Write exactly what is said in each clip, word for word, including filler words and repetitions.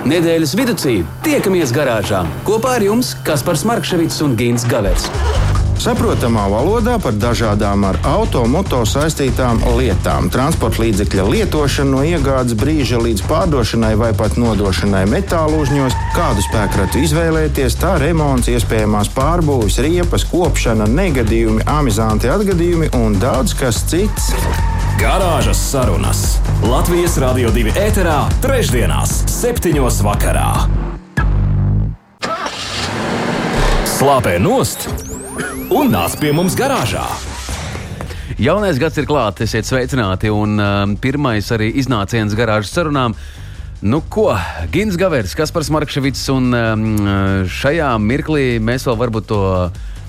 Nedēļas viducī tiekamies garāžā. Kopā ar jums Kaspars Markševits un Gints Gavers. Saprotamā valodā par dažādām ar auto, moto saistītām lietām. Transporta līdzekļa lietošanu no iegādes brīža līdz pārdošanai vai pat nodošanai metālu uzņos, kādu spēkratu izvēlēties, tā remonts, iespējamās pārbūves, riepas, kopšana, negadījumi, amizanti atgadījumi un daudz kas cits. Garāžas sarunas Latvijas Radio divi ēterā trešdienās septiņos vakarā. Slāpē nost un nāc pie mums garāžā. Jaunais gads ir klāt, esiet sveicināti, un um, pirmais arī iznāciens garāžas sarunām. Nu ko, Gints Gavers, Kaspars Markševits, un um, šajā mirklī mēs vēl varbūt to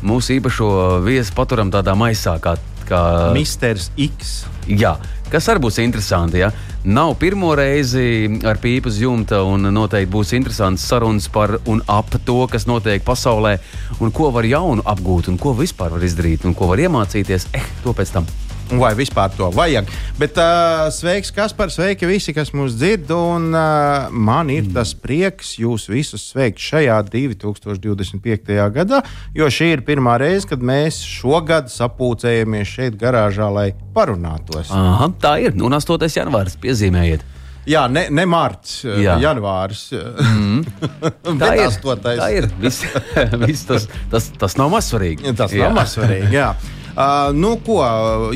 mūsu īpašo viesu paturam tādā maisā, kā, kā... Misters X. Jā, kas arī būs interesanti, ja? Nav pirmo reizi ar pīpu uz jumta, un noteikti būs interesants sarunas par un ap to, kas notiek pasaulē, un ko var jaunu apgūt, un ko vispār var izdarīt, un ko var iemācīties. Eh, to pēc tam. Vai vispār to vajag. Bet uh, sveiks, Kaspar, sveiki visi, kas mūs dzird, un uh, man ir tas prieks jūs visus sveikt šajā divi tūkstoši divdesmit piektajā gadā, jo šī ir pirmā reize, kad mēs šogad sapulcējamies šeit garāžā, lai parunātos. Aha, tā ir, un astotais janvārs, piezīmējiet. Jā, ne, ne marts, Jā. janvārs. Mm. tā, ir, tā ir, viss, viss tas, tas, tas nav mazsvarīgi. Tas nav mazsvarīgi, jā. Uh, nu, ko,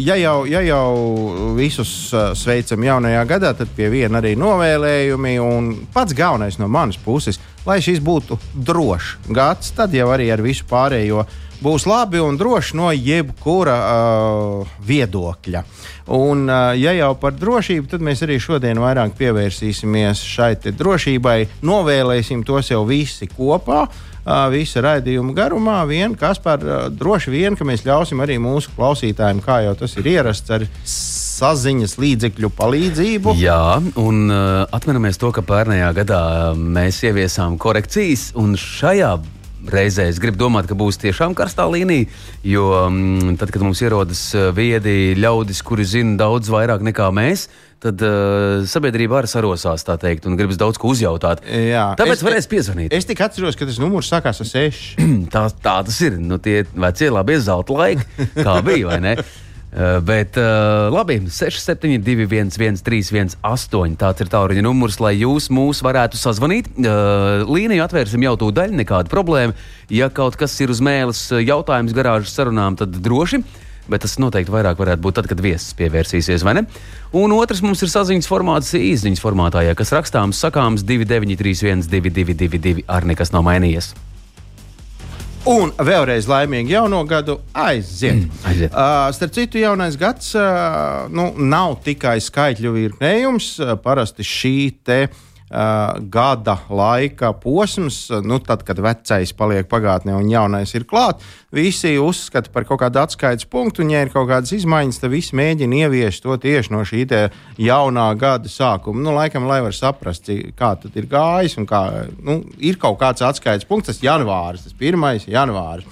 ja jau, ja jau visus uh, sveicam jaunajā gadā, tad pie viena arī novēlējumi. Un pats galvenais no manas puses, lai šis būtu drošs gads, tad jau arī ar visu pārējo būs labi un droši no jebkura uh, viedokļa. Un, uh, ja jau par drošību, tad mēs arī šodien vairāk pievērsīsimies šai te drošībai. Novēlēsim tos jau visi kopā. Uh, visa raidījuma garumā, vien, Kaspar, uh, droši vien, ka mēs ļausim arī mūsu klausītājiem, kā jau tas ir ierasts, ar saziņas līdzekļu palīdzību. Jā, un uh, atminamies to, ka pērnējā gadā mēs ieviesām korekcijas, un šajā reizē es gribu domāt, ka būs tiešām karstā līnija, jo um, tad, kad mums ierodas viedi ļaudis, kuri zina daudz vairāk nekā mēs, tad uh, sabiedrība arī sarosās, tā teikt, un gribas daudz ko uzjautāt. Jā, Tāpēc es, varēs piezvanīt. Es tik atceros, ka tas numurs sākās ar seši. tā, tā tas ir. Nu, tie vecie labie zelta laiki, kā bija, vai ne? Uh, bet uh, labi, seši septiņi divi viens viens trīs viens astoņi. Tāds ir tālruņa numurs, lai jūs mūs varētu sazvanīt. Uh, līniju atvērsim jau tūdaļ, nekāda problēma. Ja kaut kas ir uz mēles jautājums garāžas sarunām, tad droši. Bet tas noteikti vairāk varētu būt tad, kad viesis pievērsīsies, vai ne? Un otrs mums ir saziņas formāts īsziņas formātā, ja kas rakstāms, sakāms divi deviņi trīs viens divi divi divi divi, ar nekas nav mainījies. Un vēlreiz laimīgi jauno gadu aiziet. Mm, aiziet. Uh, starp citu, jaunais gads uh, nu, nav tikai skaitļu virknējums. Uh, parasti šī te Uh, gada laika posms, nu, tad, kad vecais paliek pagātnē un jaunais ir klāt, visi uzskata par kaut kādu atskaites punktu, un ja ir kaut kādas izmaiņas, tad visi mēģina ieviest to tieši no šī te jaunā gada sākuma. Nu, laikam, lai var saprast, kā tad ir gājis, un kā, nu, ir kaut kāds atskaites punkts, tas janvāris, tas pirmais janvāris.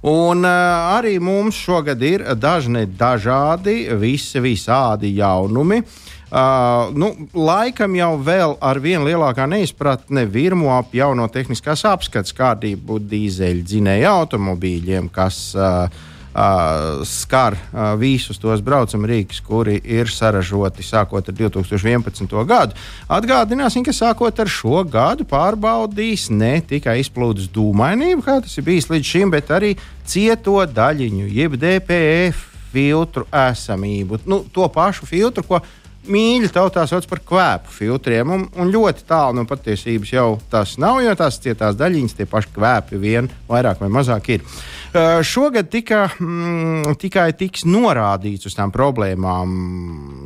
Un uh, arī mums šogad ir dažni dažādi, visi visādi jaunumi. Uh, nu, laikam jau vēl ar vien lielākā neizpratne virmo ap jauno tehniskās apskates kārtību dīzeļu dzinēju automobīļiem, kas uh, uh, skar uh, visus tos braucamrīkus, kuri ir saražoti sākot ar divi tūkstoši vienpadsmito gadu. Atgādināsim, ka sākot ar šo gadu pārbaudīs ne tikai izplūdes dūmainību, kā tas ir bijis līdz šim, bet arī cieto daļiņu, jeb D P F filtru esamību. Nu, to pašu filtru, ko mīļi tautā sauc par kvēpu filtriem, un, un ļoti tālu no patiesības jau tas nav, jo tās cietās daļiņas, tie paši kvēpi vien vairāk vai mazāk ir. Uh, šogad tika, mm, tikai tiks norādīts uz tām problēmām,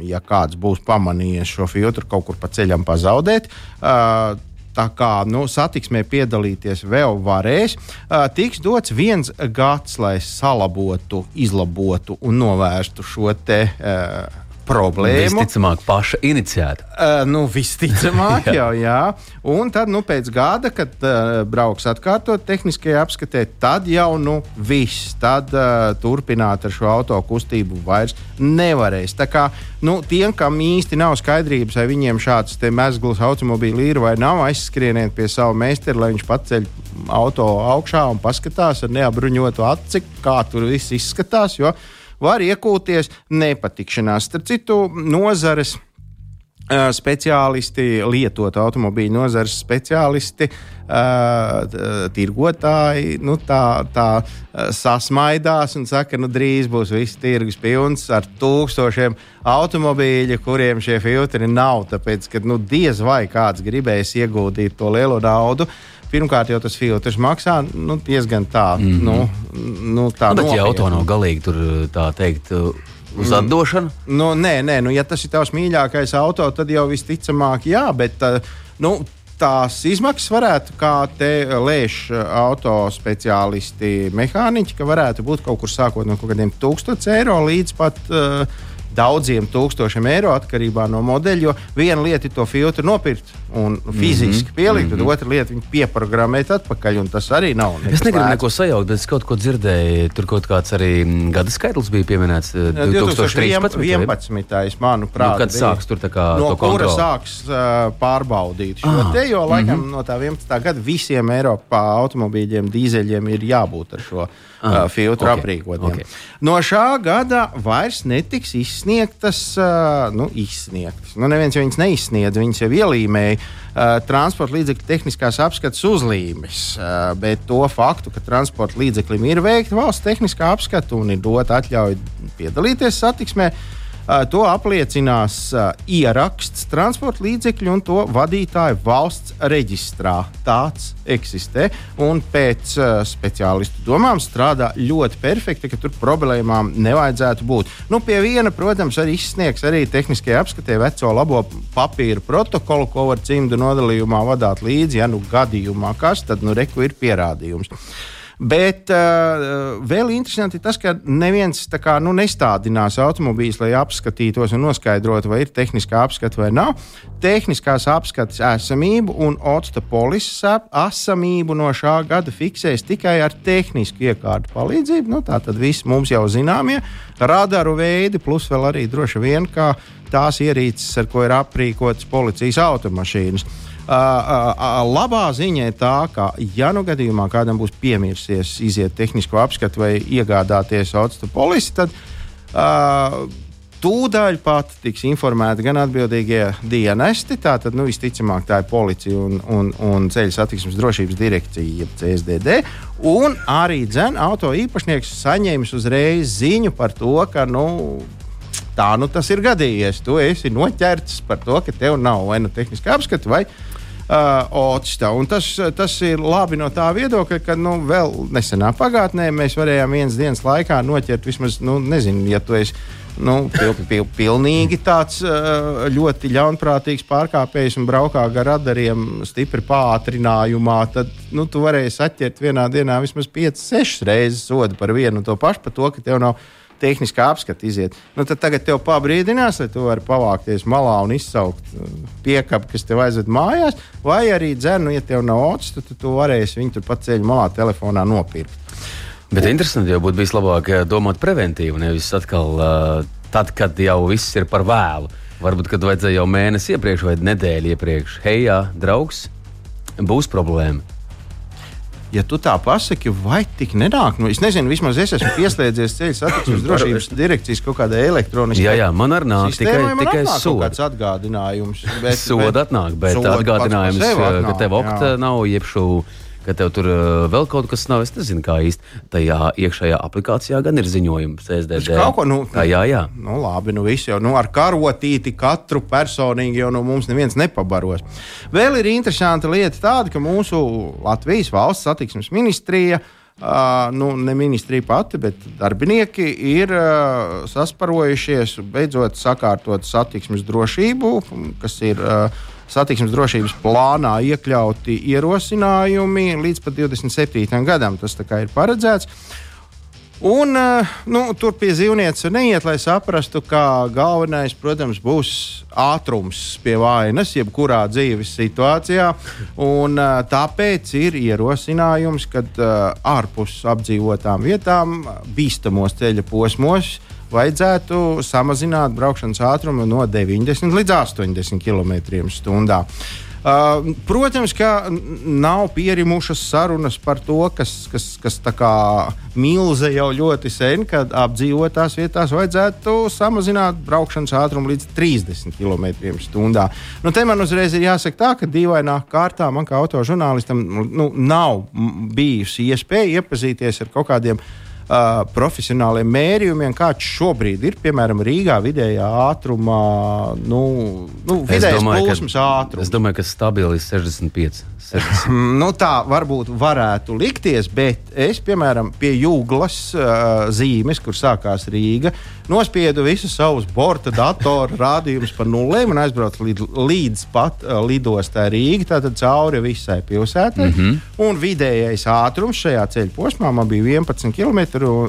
ja kāds būs pamanījies šo filtru kaut kur pa ceļam pazaudēt. Uh, Tā kā nu, satiksmē piedalīties vēl varēs, uh, tiks dots viens gads, lai salabotu, izlabotu un novērstu šo te uh, problēmu. Visticamāk, paša iniciēta. Uh, nu, visticamāk, jau, jā. Un tad, nu, pēc gada, kad uh, brauks atkārtot tehniskajā apskatē, tad jau, nu, viss. Tad uh, turpināt ar šo auto kustību vairs nevarēs. Tā kā, nu, tiem, kam īsti nav skaidrības, vai viņiem šāds te mezgls automobīli ir vai nav, aizskrieniet pie savu meisteru, lai viņš paceļ auto augšā un paskatās ar neapbruņotu aci, kā tur viss izskatās, jo var iekūties nepatikšanās. Starp citu, nozares uh, speciālisti, lietotu automobīļu nozares speciālisti, uh, tirgotāji, nu, tā, tā uh, sasmaidās un saka, nu, drīz būs viss tirgus pilns ar tūkstošiem automobīļu, kuriem šie filtri nav, tāpēc, ka, nu, diez vai kāds gribēs ieguldīt to lielo naudu. Pirmkārt, jau tas filtrs maksā nu, diezgan tā, mm-hmm. nu, nu, tā bet, nopietni. Ja auto nav galīgi tur, tā teikt, uz atdošanu? Mm. Nu, nē, nē, nu, ja tas ir tavs mīļākais auto, tad jau visticamāk, jā, bet nu, tās izmaksas varētu, kā te lēš auto speciālisti, mehāniķi, ka varētu būt kaut kur sākot no kaut kādiem tūkstots eiro līdz pat uh, daudziem tūkstošiem eiro atkarībā no modeļa, jo viena lieta ir to filtru nopirkt un fiziski mm-hmm. pielikt, mm-hmm. tad otra lieta viņu pieprogrammēt atpakaļ, un tas arī nav. Es negribu neko sajaukt, bet es kaut ko dzirdēju, tur kaut kāds arī gada skaitlis bija pieminēts divtūkstoš trīspadsmitais. vienpadsmitais, manuprāt. Nu, kad sāks tur tā kā no to kontroli? No kura sāks uh, pārbaudīt šo ah. te, jo laikam mm-hmm. no tā vienpadsmitā gada visiem Eiropā automobīļiem, dīzeļiem ir jābūt ar šo Uh, filtru okay, aprīkotiem. Okay. No šā gada vairs netiks izsniegtas, uh, nu, izsniegtas. Nu, neviens jau viņas neizsniedz, viņas jau ielīmēja uh, transporta līdzekļu tehniskās apskates uzlīmes, uh, bet to faktu, ka transporta līdzeklim ir veikta valsts tehniskā apskata un ir dota atļauja piedalīties satiksmē, uh, to apliecinās uh, ieraksts transporta līdzekļu un to vadītāju valsts reģistrā. Tāds eksistē un pēc uh, speciālistu domām strādā ļoti perfekti, ka tur problēmām nevajadzētu būt. Nu, pie viena, protams, arī izsniegs arī tehniskajā apskatē veco labo papīru protokolu, ko var cimdu nodalījumā vadāt līdzi, ja nu gadījumā kas, tad nu reku ir pierādījums. Bet uh, vēl interesanti ir tas, ka neviens tā kā, nu, nestādinās automobīļus, lai apskatītos un noskaidrotu, vai ir tehniskā apskata vai nav. Tehniskās apskates esamību un octa polises esamību no šā gada fiksēs tikai ar tehnisku iekārtu palīdzību. Nu, tā tad viss mums jau zināmie radaru veidi, plus vēl arī droši vien, kā tās ierīces, ar ko ir aprīkotas policijas automašīnas. Uh, uh, uh, labā ziņa ir tā, ka, ja nu gadījumā kādam būs piemirsies iziet tehnisko apskatu vai iegādāties octa polisi, tad uh, tūdaļ pat tiks informēti gan atbildīgie dienesti, tātad, nu, visticamāk, tā ir policija un, un, un ceļu satiksmes drošības direkcija, jeb C S D D, un arī dzen auto īpašnieks saņēmis uzreiz ziņu par to, ka, nu, tā nu tas ir gadījies. Tu esi noķerts par to, ka tev nav vai nu tehniskā apskata vai uh, octa. Un tas, tas ir labi no tā viedokļa, ka nu, vēl nesenā pagātnē mēs varējām vienas dienas laikā noķert vismaz, nu, nezinu, ja tu esi nu, pil, pil, pilnīgi tāds uh, ļoti ļaunprātīgs pārkāpējs un braukā gar radariem stipri pātrinājumā, tad nu, tu varēsi atķert vienā dienā vismaz piecas, sešas reizes sodu par vienu un to pašu, par to, ka tev nav tehniskā apskata iziet. Nu, tad tagad tev pabrīdinās, lai tu vari pavākties malā un izsaukt piekapu, kas tev aizved mājās, vai arī dzernu, ja tev nav ots, tad tu varēsi viņu tur pat ceļu malā telefonā nopirkt. Bet interesanti jau būtu bijis labāk domāt preventīvi, nevis atkal uh, tad, kad jau viss ir par vēlu. Varbūt, kad vajadzēja jau mēnesi iepriekš vai nedēļu iepriekš. Hei, jā, draugs, būs problēma. Ja tu tā pasaki, vai tik nenāk? Nu, es nezinu, vismaz es esmu pieslēdzies ceļu satiksmes drošības direkcijas kaut kādai elektroniskai. Jā, jā, man arī nāk sistēmai, tikai, tikai soda. Kaut kāds atgādinājums. Bet, soda atnāk, bet atgādinājums, atnāk, ka tev okta nav, iepšu, ka tev tur uh, vēl kaut kas nav. Es nezinu, kā īsti tajā iekšējā aplikācijā gan ir ziņojums C S D D. Kaut ko, nu, tā, jā, jā. Nu, labi, nu viss jau, nu, ar karotīti katru personīgi jau nu, mums neviens nepabaros. Vēl ir interesanta lieta tāda, ka mūsu Latvijas valsts satiksmes ministrija, uh, nu, ne ministrija pati, bet darbinieki ir uh, sasparojušies, beidzot sakārtot satiksmes drošību, kas ir uh, satiksmes drošības plānā iekļauti ierosinājumi līdz pat divdesmit septītajam gadam. Tas tā kā ir paredzēts. Un, nu, tur pie dzīvnieces neiet, lai saprastu, ka galvenais, protams, būs ātrums pie vainas, jebkurā dzīves situācijā. Un, tāpēc ir ierosinājums, ka ārpus apdzīvotām vietām, bīstamos ceļa posmos, vajadzētu samazināt braukšanas ātrumu no deviņdesmit līdz astoņdesmit kilometriem stundā. Uh, protams, ka nav pierimušas sarunas par to, kas, kas, kas tā kā milze jau ļoti sen, kad apdzīvotās vietās vajadzētu samazināt braukšanas ātrumu līdz trīsdesmit kilometriem stundā. Nu, te man uzreiz ir jāsaka tā, ka dīvainā kārtā man kā autožurnālistam nu, nav bijusi iespēja iepazīties ar kaut kādiem Uh, profesionāliem mērījumiem, kāds šobrīd ir, piemēram, Rīgā vidējā ātrumā, nu, nu vidējais plūsmas ātrums. Es domāju, ka stabili ir sešdesmit pieci. Nu, tā varbūt varētu likties, bet es, piemēram, pie Jūglas uh, zīmes, kur sākās Rīga, nospiedu visus savus borta datoru rādījumus par nulēm un aizbraucu līdz, līdz pat uh, lidostā Rīga, tātad cauri visai pilsētai. Mm-hmm. Un vidējais ātrums šajā ceļa posmā man bija vienpadsmit kilometru,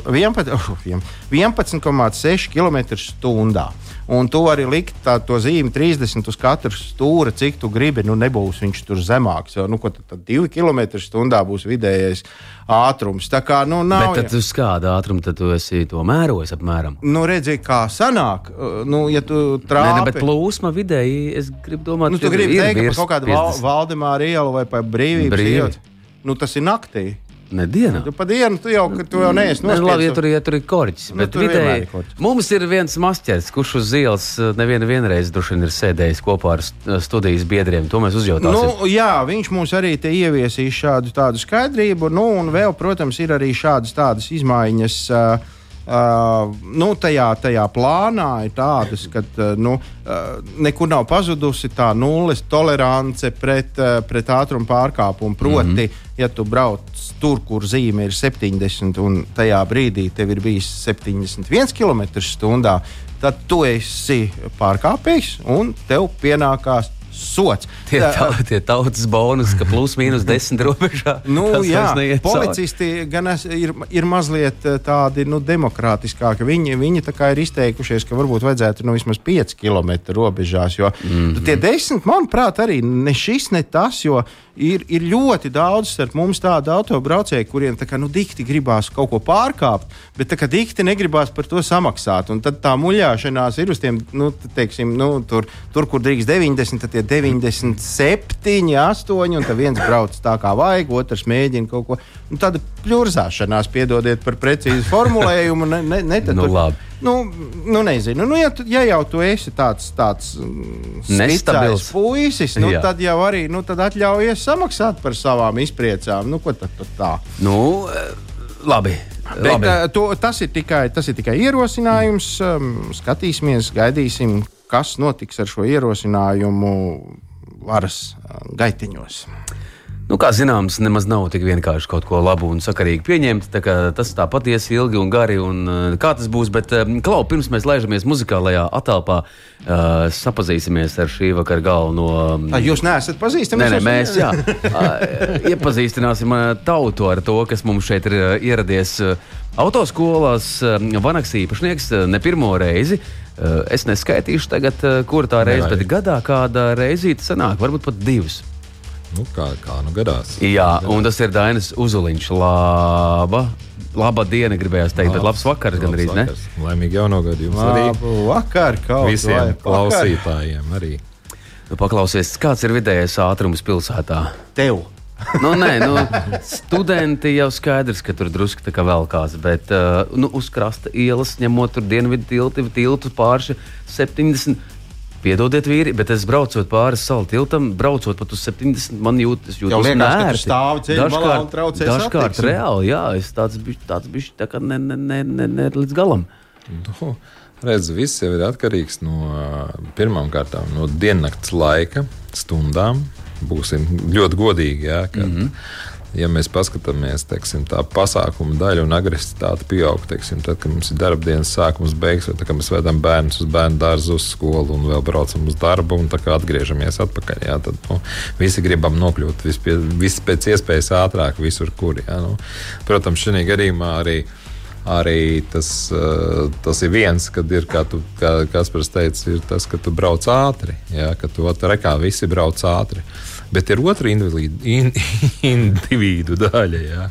vienpadsmit komats seši kilometri stundā. Un tu vari likt tā, to zīmi trīsdesmit uz katru stūra, cik tu gribi, nu nebūs viņš tur zemāks. Jo, nu, ko tad, tad divi kilometri stundā būs vidējais ātrums. Tā kā, nu, nav... Bet tad uz kādu ātrumu tad tu esi to mērojis apmēram? Nu, redzi, kā sanāk, nu, ja tu trāpi... Nē, ne, bet plūsma vidēji, es gribu domāt, nu, tu gribi ir, teikt, ir ka par kaut kādu Val, Valdemāra ielu vai par Brīvības Brīvi. ielu. Nu, tas ir naktī. Ne dienā. Tu pa dienu tu jau, tu jau neesi nospiedz. Labi, ja tur, ja tur ir korķis. Nu, bet tur vidēji ir korķis. Mums ir viens mašķers, kurš uz ielas nevienu vienreiz droši vien ir sēdējis kopā ar studijas biedriem. To mēs uzjautāsim. Nu, jā, viņš mums arī te ieviesīs šādu tādu skaidrību. Nu, un vēl, protams, ir arī šādas tādas izmaiņas. Uh, Uh, nu, tajā, tajā plānā ir tādas, ka uh, nu, uh, nekur nav pazudusi tā nulles tolerance pret, uh, pret ātruma pārkāpumu. Proti, mm-hmm. ja tu brauc tur, kur zīme ir septiņdesmit un tajā brīdī tev ir bijis septiņdesmit viens kilometrs stundā, tad tu esi pārkāpējs un tev pienākās sots. Tie, tā, tie tautas bonus, ka plus mīnus desmit robežā. Nu, jā, policisti gan es, ir, ir mazliet tādi nu, demokrātiskāki. Viņi, viņi tā kā ir izteikušies, ka varbūt vajadzētu nu, vismaz pieci kilometri robežās, jo mm-hmm. tie desmit, manuprāt, arī ne šis, ne tas, jo ir, ir ļoti daudz starp mums tādu autobraucēju, kuriem tā kā nu dikti gribās kaut ko pārkāpt, bet tā kā dikti negribās par to samaksāt. Un tad tā muļāšanās ir uz tiem, nu, teiksim, nu, tur, tur, kur drīkst deviņdesmit, tad tie deviņdesmit septiņi, astoņi, un tad viens brauc tā kā vajag, otrs mēģina kaut ko. Un tāda pļurzāšanās, piedodiet par precīzu formulējumu, ne, ne, ne tad nu, tur, labi. Nu, nu nezinu, nu, ja, tu, ja jau tu esi tāds, tāds nestabils puisis, nu, tad jau arī, nu, tad atļaujies samaksāt par savām izpriecām. Nu, ko tad, tad tā? Nu, labi. Bet, labi. To, tas, ir tikai, tas ir tikai ierosinājums. Skatīsimies, gaidīsim, kas notiks ar šo ierosinājumu varas gaitiņos. Nu, kā zināms, nemaz nav tik vienkārši kaut ko labu un sakarīgi pieņemt. Tā tas tā patiesi ilgi un gari, un kā tas būs. Bet, Klau, pirms mēs laižamies muzikālajā atelpā, uh, sapazīsimies ar šī vakara galveno. Tā jūs neesat pazīstami? Nē, nē, mēs jā, uh, iepazīstināsim tautu ar to, kas mums šeit ir uh, ieradies uh, autoskolās. Uh, Vanaks īpašnieks uh, ne pirmo reizi. Uh, es neskaitīšu tagad, uh, kur tā reize, bet gadā kāda reizīte sanāk, varbūt pat divas. Nu, kā, kā nu gadās. Jā, un tas ir Dainis Uzuliņš. Laba, laba diena, gribējās teikt, labs, bet labs vakars gan arī, ne? Laimīgi jauno gadu jums Labu arī. Labu vakar, kaut visiem vai klausītājiem arī. Nu, paklausies, kāds ir vidējais ātrums pilsētā? Tev. Nu, nē, nu, studenti jau skaidrs, ka tur drusku tā kā velkās, bet uh, nu, uz krasta ielas, ņemot tur dienvidu tilti, tiltu pārši septiņdesmit. Piedodiet, vīri, bet es braucot pāri salu tiltam, braucot pat uz septiņdesmit, man jūt, es jūtos nērti. Dažkārt, dažkārt reāli, jā, es tāds bišķi, tāds bišķi tā kā ne, ne, ne, ne, ne līdz galam. Nu, redz, viss jau ir atkarīgs no pirmām kārtām, no diennakts laika, stundām. Būsim ļoti godīgi, jā, ka, mm-hmm. ja mēs paskatāmies, teiksim, tā pasākuma daļa un agresivitāte pieaug, teiksim, tad, kad mums ir darba dienas sākums, beigas, vai tā, kad mēs vedam bērnus uz bērnu dārzu, uz skolu un vēl braucam uz darbu un tā kā atgriežamies atpakaļ, jā, tad, nu, visi gribam nokļūt vispie, visi pēc iespējas ātrāk visur, kur, jā, nu. Protams, šī gadījumā arī arī tas, tas ir viens, kad ir, kā, tu, kā Kaspars teica, ir tas, ka tu brauc ātri, jā, ka tu rekā visi brauc ātri. Bet ir otra individu, in, individu daļa, jā,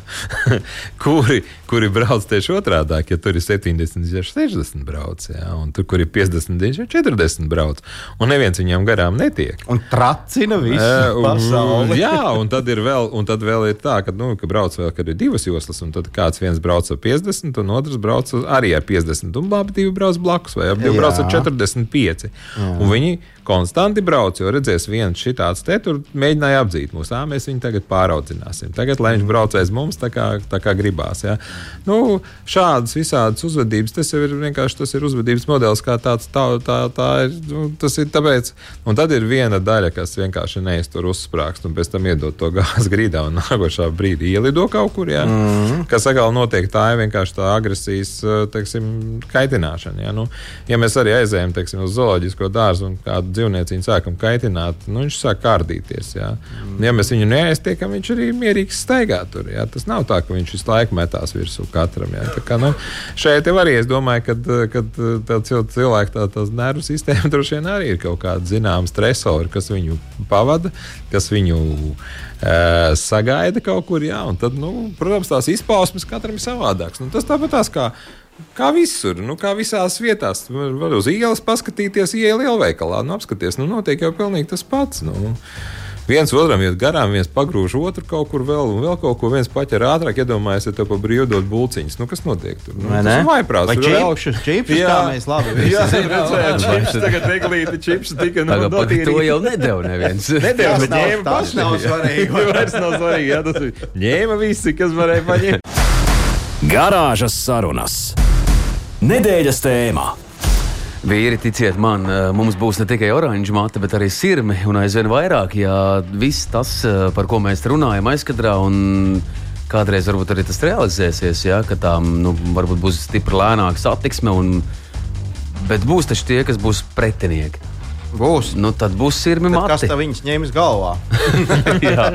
kuri, kuri brauc tieši otrādāk, ja tur ir septiņdesmit, sešdesmit brauc, jā, un tur, kur ir piecdesmit, četrdesmit brauc, un neviens viņam garām netiek. Un tracina visu e, un, pasauli. Jā, un tad ir vēl, un tad vēl ir tā, ka, nu, ka brauc vēl, kad ir divas joslas, un tad kāds viens brauc ar piecdesmit, un otrs brauc arī ar piecdesmit, un labi divi brauc blakus, vai abi brauc ar četrdesmit pieci. Jā. Un viņi konstanti brauc, jo redzēs viens šitāds te, tur mēģināja apdzīt mūs. Ā, mēs viņu tagad pāraudzināsim. Tagad, lai viņš brauc aiz mums, tā kā, tā kā gribās. Ja? Nu, šādas visādas uzvedības, tas jau ir vienkārši tas ir uzvedības modelis, kā tāds, tā, tā, tā ir, nu, tas ir tāpēc. Un tad ir viena daļa, kas vienkārši neiztur uzsprākst, un pēc tam iedod to gāzi grīdā, un nākošā brīdī ielido kaut kur, ja? Mm-hmm. Kas atkal notiek, tā ir vienkārši tā agresijas, teiksim, kaitināšana. Ja? Nu, ja mēs arī aizējam, teiksim, uz zooloģisko dārzu un kādu dzīvnieciņu sākam kaitināt, nu, viņš sāk kārdīties. Jā. Mm. Ja mēs viņu neaiztiekam, viņš arī mierīgi staigā tur. Jā. Tas nav tā, ka viņš visu laiku metās virsū katram. Jā. Tā kā, nu, šeit jau arī es domāju, ka tā cilvēka tā, tās nervu sistēma droši vien arī ir kaut kāda zināma stresori, kas viņu pavada, kas viņu e, sagaida kaut kur. Jā. Un tad, nu, protams, tās izpausmes katram ir savādāks. Nu, tas tāpat tās kā Kā visur, nu, kā visās vietās. Var uz ielas paskatīties, iela lielveikalā, nu, apskaties, nu, notiek jau pilnīgi tas pats. Nu. Viens otram iet garām, viens pagrūž otru kaut kur vēl, un vēl kaut ko viens paķer ātrāk, iedomājies, ja tev pa brīvu dod bulciņas. Nu, kas notiek tur? Nu, tas ir vaiprāts. Vai čipšus, čipšus, tā mēs labi visi. Jā, redzēju, čipšus, tagad eglīti čipšus tika nu dotīrīt. To jau nedeva neviens. Nedeva, bet ņēma paši. Tas nav svarīgi. Vairs nav svarīgi, jā, tas ir. Ņēma visi, kas varēja paņemt. Garāžas sarunas. Nedēļas tēmā. Vīri, ticiet man, mums būs ne tikai oranža mate, bet arī sirmi un aizvien vairāk, ja viss tas, par ko mēs runājam aizkadrā, un kādreiz varbūt arī tas realizēsies, ja, ka tām, nu, varbūt būs stipri lēnāka satiksme, un, bet būs taču tie, kas būs pretinieki. Būs. Nu, tad būs sirmi tad mati. Kas tā viņas ņems galvā? jā.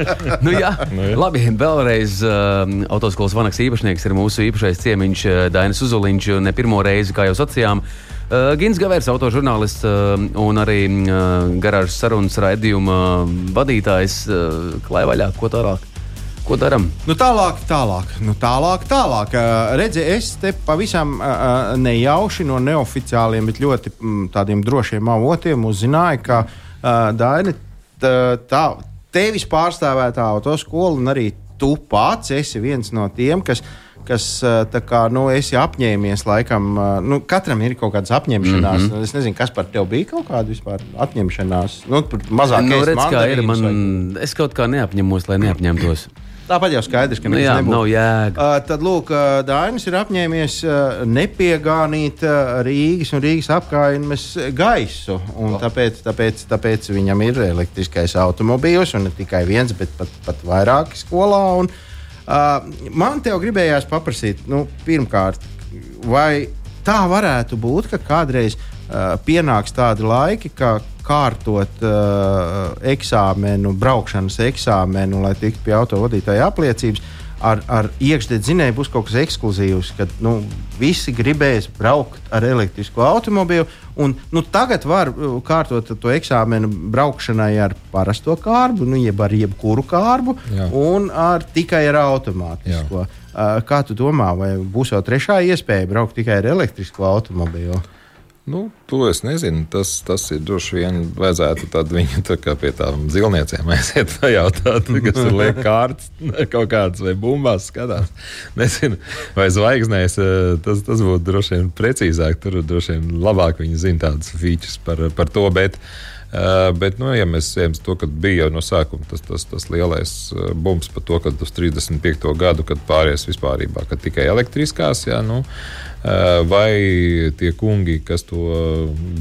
Nu, jā. Nu, jā. Labi, vēlreiz uh, autoskolas Vanaks īpašnieks ir mūsu īpašais ciemiņš uh, Dainis Uzuliņš, ne pirmo reizi, kā jau sacījām. Uh, Gins Gavērs, autožurnālists uh, un arī uh, garāžas sarunas raidījuma vadītājs. Uh, klāj vaļā, ko tālāk? Ko daram? Nu, tālāk, tālāk, nu, tālāk, tālāk. Uh, redzi, es te pavisam uh, nejauši no neoficiāliem, bet ļoti m, tādiem drošiem avotiem uzzināju, ka uh, Daini, tā, tā, tevis pārstāvētā autoskola un arī tu pats esi viens no tiem, kas, kas tā kā, nu, esi apņēmies laikam, nu, katram ir kaut kādas apņemšanās. Mm-hmm. Es nezinu, kas par tev bija kaut kāda vispār apņemšanās. Nu, mazāk nu, redz, kā ir, man, vai... es kaut kā neapņemos, lai neapņemtos. Tāpat jau skaidrs, ka nu, jā, nav jēga. Uh, tad, lūk, uh, Dainis ir apņēmies uh, nepiegānīt uh, Rīgas un Rīgas apkaimnes gaisu. Un tāpēc, tāpēc, tāpēc viņam ir elektriskais automobīls, un ne tikai viens, bet pat, pat vairāki skolā. Un, uh, man tev gribējās paprasīt, nu, pirmkārt, vai tā varētu būt, ka kādreiz uh, pienāks tādi laiki, ka kārtot uh, eksāmenu, braukšanas eksāmenu, lai tiktu pie autovadītāja apliecības, ar, ar iekšdedzinēju būs kaut kas ekskluzīvs, kad nu, visi gribēs braukt ar elektrisko automobīlu. Un, nu, tagad var kārtot to eksāmenu braukšanai ar parasto kārbu, nu, jeb ar jebkuru kārbu, jā. Un ar, tikai ar automātisko. Uh, kā tu domā, vai būs jau trešā iespēja braukt tikai ar elektrisko automobīlu? Nu, to es nezinu. Tas, tas ir droši vien vajadzētu tad viņu tā kā pie tām zilniecēm aiziet pajautāt, kas tur liek kārtas kaut kādas vai bumbās skatās. Nezinu, vai zvaigznēs, tas, tas būtu droši vien precīzāk, tur droši vien labāk viņi zina tādas features par, par to, bet Uh, bet, nu, ja mēs ejam to, kad bija jau no sākuma tas, tas, tas lielais uh, bums par to, kad uz trīsdesmit piekto gadu, kad pāries vispārībā, kad tikai elektriskās, jā, nu, uh, vai tie kungi, kas to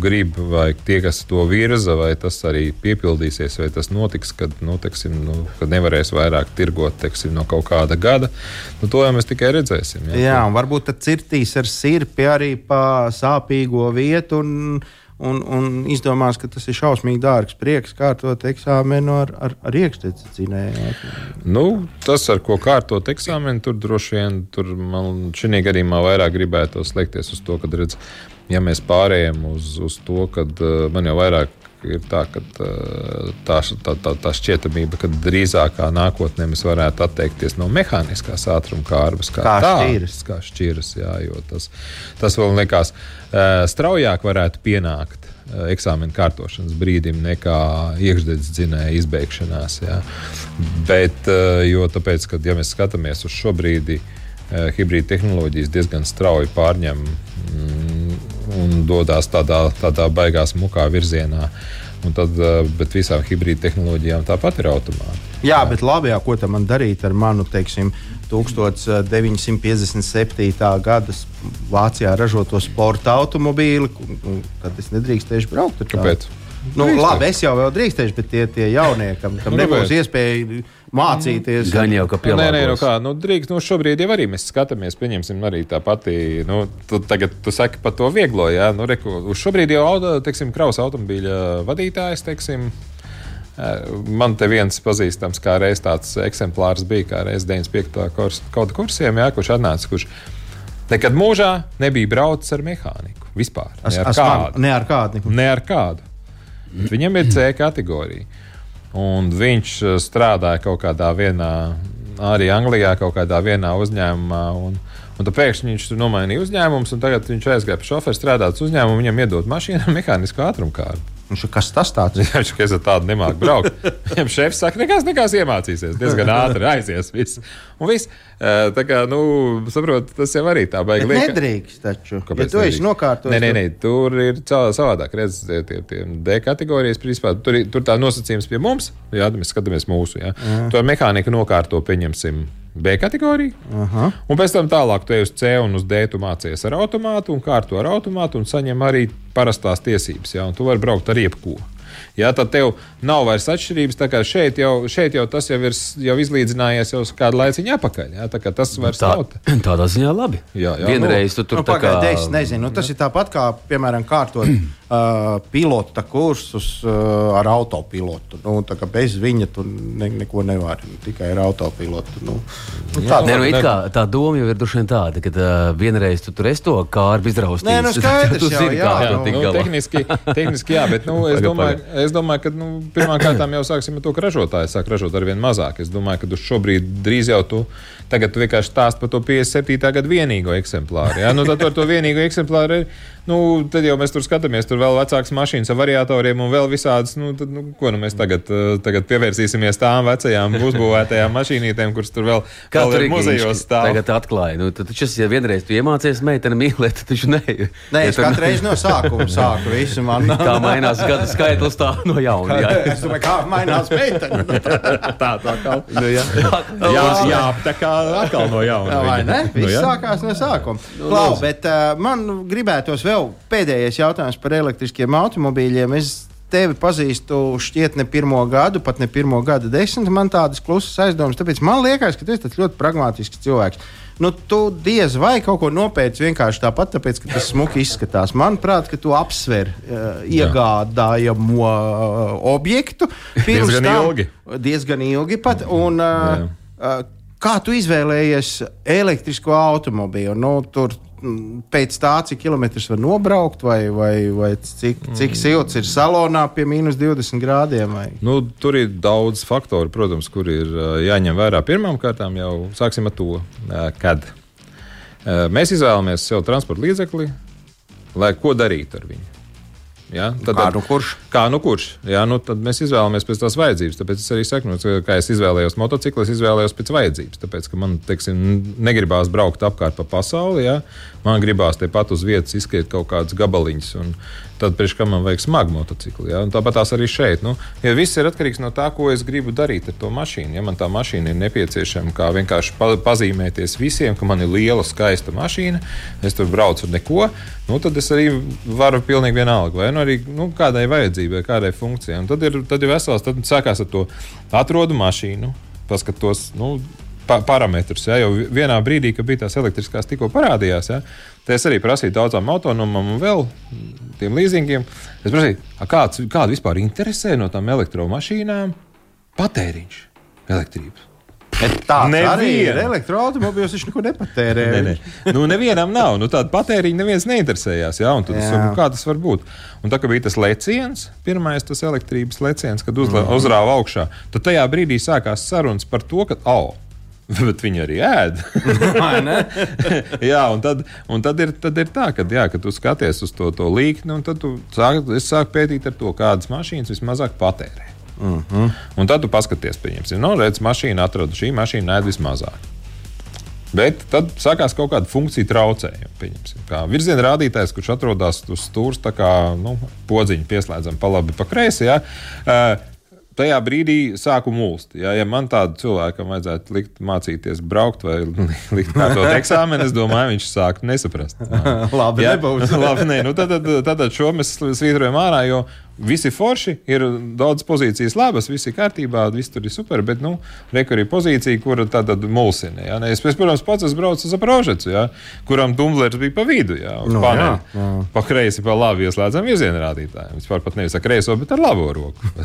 grib, vai tie, kas to virza, vai tas arī piepildīsies, vai tas notiks, kad, nu, teksim, nu, kad nevarēs vairāk tirgot, teksim, no kaut kāda gada, nu, to jau mēs tikai redzēsim. Jā, jā un varbūt tad cirtīs ar sirpi arī pa sāpīgo vietu un un, un izdomās, ka tas ir šausmīgi dārgs prieks kārtot eksāmenu ar, ar, ar iekšteces dzinēju. Nu, tas, ar ko kārtot eksāmenu, tur droši vien, tur man šī gadījumā vairāk gribētu slēgties uz to, kad redz, ja mēs pārējām uz, uz to, kad uh, man jau vairāk ir tā, ka uh, tā, tā, tā, tā šķietamība, ka drīzākā nākotnē mēs varētu atteikties no mehāniskās ātruma kārbas, kā, kā tā, šķiras. Kā šķiras, jā, jo tas, tas vēl likās uh, straujāk varētu pienākt uh, eksāmena kārtošanas brīdim nekā iekšdedzes dzinēja izbeigšanās. Jā. Bet, uh, jo tāpēc, kad ja mēs skatāmies uz šo brīdi, uh, hibrīda tehnoloģijas diezgan strauji pārņem mm, un dodas tādā, tādā baigās mukā virzienā. Un tad, bet visām hibrīda tehnoloģijām tāpat ir automāti. Jā, bet labi, jā, ko tam man darīt ar manu, teiksim, deviņpadsmit piecdesmit septītā gada Vācijā ražoto sporta automobīli, tad es nedrīkstēšu braukt ar tādu. Kāpēc? Nu, labi, es jau vēl drīkstēšu, bet tie, tie jaunie, kam, kam Nu, nebūs bet- iespēja mācīties. Gan jau, ka Nē, nē, nu pielāgos. kā, nu drīkst, nu šobrīd jau arī mēs skatāmies, pieņemsim arī tā pati, nu, tu tagad tu saki par to vieglo, jā, nu, reku, uz šobrīd jau, auto, teiksim, kraus automobīļa vadītājs, teiksim, eh, man te viens pazīstams, kā reiz tāds eksemplārs bija, kā reiz deviņdesmit piektajā kurs, kaut kursiem, jā, kurš atnāca, kurš nekad mūžā nebija braucis ar mehāniku, vispār, As, ne ar as, man, kādu. ne ar kādu. Neko. Ne ar kādu. Bet viņam ir C kategorija. Un viņš uh, strādāja kaut kādā vienā, arī Anglijā, kaut kādā vienā uzņēmumā. Un, un tad pēkšņi viņš tur nomainīja uzņēmumus, un tagad viņš aizgāja pie šofera strādāt uz uzņēmumu, viņam iedod mašīnu ar mehānisku ātrumkārtu. Viņš ir kas tas tāds? Viņš ir tādu nemāku braukt. Viņam šefs saka, nekas, nekas iemācīsies. Diezgan ātri aizies. Viss. Un viss. Uh, tā kā, nu, saprot, tas jau arī tā baigi Bet lieka. nedrīkst taču. Kāpēc Ja tu esi nedrīkst? nokārtojis. Nē, nē, nē, tur ir cā- savādāk. Redz, tie, tie, tie D kategorijas, principā, tur, ir- tur tā nosacījums pie mums, jā, mēs skatāmies mūsu. Jā. To mehānika nokārto, pieņemsim, B kategoriju. Aha. Un pēc tam tālāk tu ej uz C un uz D, tu mācies ar automātu un kārto ar automātu un saņem arī parastās tiesības. Jā, un tu vari braukt ar jebko. Jā, tad tev nav vairs atšķirības. Tā kā šeit jau, šeit jau tas jau ir s- jau izlīdzinājies jau uz kādu laiciņu atpakaļ. Jā, tā kā tas vairs Tā, nav. tādā ziņā labi. Jā, jā, Vienreiz tu tur Nu, tā kā... pagaidi, es nezinu. Nu, tas ir tāpat kā, piemēram, kārtot uh, pilota kursus uh, ar autopilotu. Nu, tā kā bez viņa tu ne, neko nevari. Nu, tikai ar autopilotu. Nu, nu, tā, Nē, nu, ne- it kā tā doma jau ir droši vien tāda, ka uh, vienreiz tu tur esi to kārbu izraustījis. Nē, nu, skaidrs tu jau, zini, jā, kā jā, to Nu, tik nu, galā. tehniski, tehniski jā, bet nu, es, Paga, domāju, paga. es domāju, ka nu, pirmkārt jau sāksim ar to, ka ražotāji sāk ražot ar vien mazāk. Es domāju, ka uz šobrīd drīz jau tu, tagad tu vienkārši stāst par to piecdesmit septītā gada vienīgo eksemplāru. Ja? Nu, tad ar to vienīgo eksemplāru ir, nu, tad jau mēs tur skatāmies, tur vēl vecākas mašīnas ar variatoriem un vēl visādas, nu, tad, nu, ko nu mēs tagad, uh, tagad pievērsīsimies tām vecajām uzbūvētajām mašīnītēm, kuras tur vēl, Kā vēl tur ir ir muzejos stāv. Tagad atklāja. Nu, tad taču, ja vienreiz tu iemācies meiteni mīlēt, tad taču ne. Nē, Ja es tur- katru reizi no sākuma sāku visu man. Kā mainās gada skaitlis tā no jauna. Jā, Es domāju, kā mainās meitene. Tā, tā kā. nu, jā. Jā, jā, tā kā atkal no jauna. Jā, vai ne? Nu, Viss jā. sākās no sākuma. Klau, bet uh, man gribētos vēl pēdējais jautājums par elektriskiem automobīļiem. Es tevi pazīstu šķiet ne pirmo gadu, pat ne pirmo gadu desmit. Man tādas klusas aizdomas, tāpēc man liekas, ka tu esi tāds ļoti pragmātisks cilvēks. Nu, tu diez vai kaut ko nopēci vienkārši tāpat, tāpēc, ka tas smuki izskatās. Manuprāt, ka tu apsver uh, iegādājamo uh, objektu. pirms Diezgan tam- ilgi. Diezgan ilgi pat. Un, uh, uh, kā tu izvēlējies elektrisko automobīlu? Nu, tur mm, pēc tā, cik kilometrus var nobraukt, vai, vai, vai cik, cik silts ir salonā pie mīnus divdesmit grādiem? Vai? Nu, tur ir daudz faktoru, protams, kur ir ā, jāņem vērā. Pirmām kārtām jau sāksim ar to, ā, kad ā, mēs izvēlamies sev transporta līdzekli, lai ko darītu ar viņu. Ja? Tad, Kā nu kurš? Kā nu kurš? Jā, nu, tad mēs izvēlamies pēc tās vajadzības. Tāpēc es arī saku, nu, kā es izvēlējos motociklu, es izvēlējos pēc vajadzības. Tāpēc, ka man, teiksim, negribās braukt apkārt pa pasauli. Jā. Man gribās tepat uz vietas izskriet kaut kādas gabaliņas. Un tad, priekš kā man vajag smagu motociklu. Jā. Un tāpat tās arī šeit. Nu, ja viss ir atkarīgs no tā, ko es gribu darīt ar to mašīnu. Ja man tā mašīna ir nepieciešama, kā vienkārši pa, pazīmēties visiem, ka man ir liela, skaista mašīna, es tur braucu ar neko, nu, tad es arī varu pilnīgi vienalga. Vai nu arī nu, kādai vajadzībai, kādai funkcijai. Un tad ir, tad ir vesels, tad sākās ar to atrodu mašīnu, paskatos, nu, pa, parametrus. Ja, jo vienā brīdī, kad bija tās elektriskās tikko parādījās, ja, te es arī prasīju daudzām autonomam un vēl tiem līzingiem. Es prasīju, kāds, kādu vispār interesē no tām elektromašīnām patēriņš elektrības. Tāds Nevien. Arī ir elektroautomobīls, viņš neko nepatērē. Ne, ne. Nu, nevienam nav. Nu, tāda patēriņa neviens neinteresējās. Ja? Un tad es saku, kā tas var būt? Un tā kā bija tas leciens, pirmais tas elektrības leciens, kad uzla, mm. uzrāva augšā, tad tajā brīdī sākās sarunas par to, ka, oh, bet viņi arī ēd. jā, un tad, un tad, ir, tad ir tā, ka, jā, kad tu skaties uz to, to līkni, un tad tu sāk, es sāku pētīt ar to, kādas mašīnas vismazāk patērē. Uh-huh. Un tad tu paskaties, pieņemsim, no redz, mašīna atrada, šī mašīna ēd vismazāk. Bet tad sākās kaut kāda funkcija traucējuma, pieņemsim. Kā virziena rādītājs, kurš atrodas uz stūrs, tā kā, nu, podziņu pieslēdzam pa labi, pa kreisi, jā. Uh, tajā brīdī sāku mulst. Ja, ja man tādu cilvēkam vajadzētu likt mācīties braukt vai likt kārtot eksāmeni, es domāju, viņš sāktu nesaprast. Labi, ja, nebūs. Labi, nē, nu tad, tad, tad šo mēs svītrojam ārā, jo visi forši, ir daudz pozīcijas labas, visi kārtībā, viss tur ir super, bet, nu, reku arī pozīcija, kura tātad mulsina. Ja? Es, protams, pats es braucu uz Zaprožecu, ja? Kuram dumblers bija pa vidu, ja? Uz no, paneli. Jā, jā. Pa kreisi, pa labi ieslēdzam virziena rādītāju. Vispār pat nevis ar kreiso, bet ar labo roku.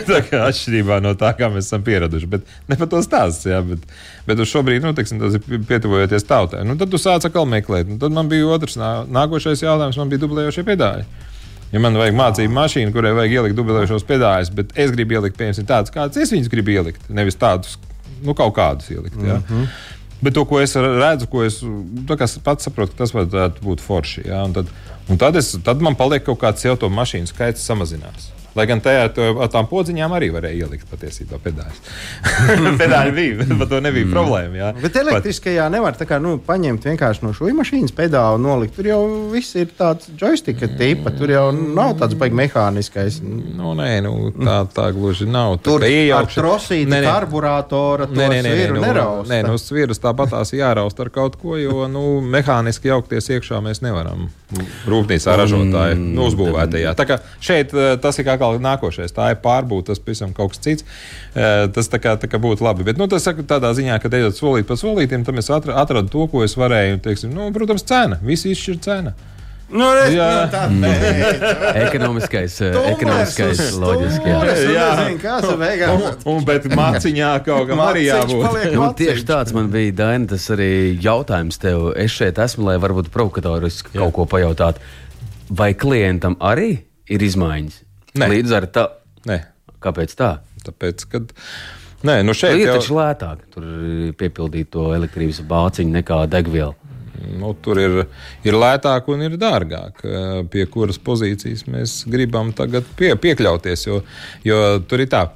Tā kā atšķirībā no tā, kā mēs esam pieraduši. Bet ne par to stāsts, ja? bet, bet uz šobrīd, nu, teiksim, tas ir pietuvojoties tautai. Nu, tad tu sāc atkal meklēt. Nu, tad man bija otrs nākošais jautājums, man bija dublējošie pedāļi. Ja man vajag mācību mašīnu, kurai vajag ielikt dublējošos pedāļus, bet es gribu ielikt, piemēram, tādus, kādus es viņus gribu ielikt, nevis tādus, nu, kaut kādus ielikt. Ja? Mm-hmm. Bet to, ko es redzu, ko es pats saprotu, ka tas varētu būt forši. Ja? Un, tad, un tad, es, tad man paliek kaut kāds jau to mašīnu skaits samazinās. Lai gan tajā ar tām podziņām arī varēja ielikt patiesībā pedāļus. Pedāļi bija, bet to nebija mm. problēma. Jā. Bet elektriskajā nevar tā kā, nu, paņemt vienkārši no šūju mašīnas pedālu nolikt. Tur jau viss ir tāds joysticka tipa, tur jau nav tāds baigi mehāniskais. Nu, nē, nu, tā, tā gluži nav. Tur ar trosīti karburātora to nē, nē, nē, sviru nē, nerausta. Nē, nu, svirus tāpatās jārausta ar kaut ko, jo, nu, mehāniski jaukties iekšā mēs nevaram rūpnīcā ražotāji mm. nu, uzbūvētajā. Tā kā šeit tas ir kā nākošais. Tā ir pārbūta, tas pavisam kaut kas cits. Tas tā kā, tā kā būtu labi. Bet, nu, tas saka tādā ziņā, ka ejot solīt pa solītiem, tam es atradu to, ko es varēju. Teiksim, nu, protams, cena. Visi izšķir cena. Nu, es, jā, nu, tā nē. ekonomiskais, ekonomiskais loģiski. Jā, jā. Nezinu, kas ir beigās. Un, un, bet maciņā kaut kam arī jābūt. Nu, tieši tāds man bija, Daina, tas arī jautājums tev. Es šeit esmu, lai varbūt provokatoriski kaut ko pajautāt. Vai klientam arī ir izmaiņas? Nē. Līdz ar tā. Nē. Kāpēc tā? Tāpēc, kad. Nē, nu šeit ir jau... taču lētāk tur piepildīt to elektrības bāciņu nekā degvielu. Nu, tur ir, ir lētāk un ir dārgāk, pie kuras pozīcijas mēs gribam tagad pie, piekļauties. Jo, jo tur ir tā,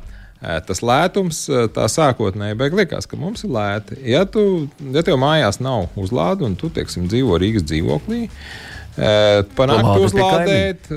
tas lētums, tā sākotnēji beig liekas, ka mums ir lēti. Ja, tu, ja tev mājās nav uzlāde un tu, teiksim, dzīvo Rīgas dzīvoklī, panākt uzlādēt,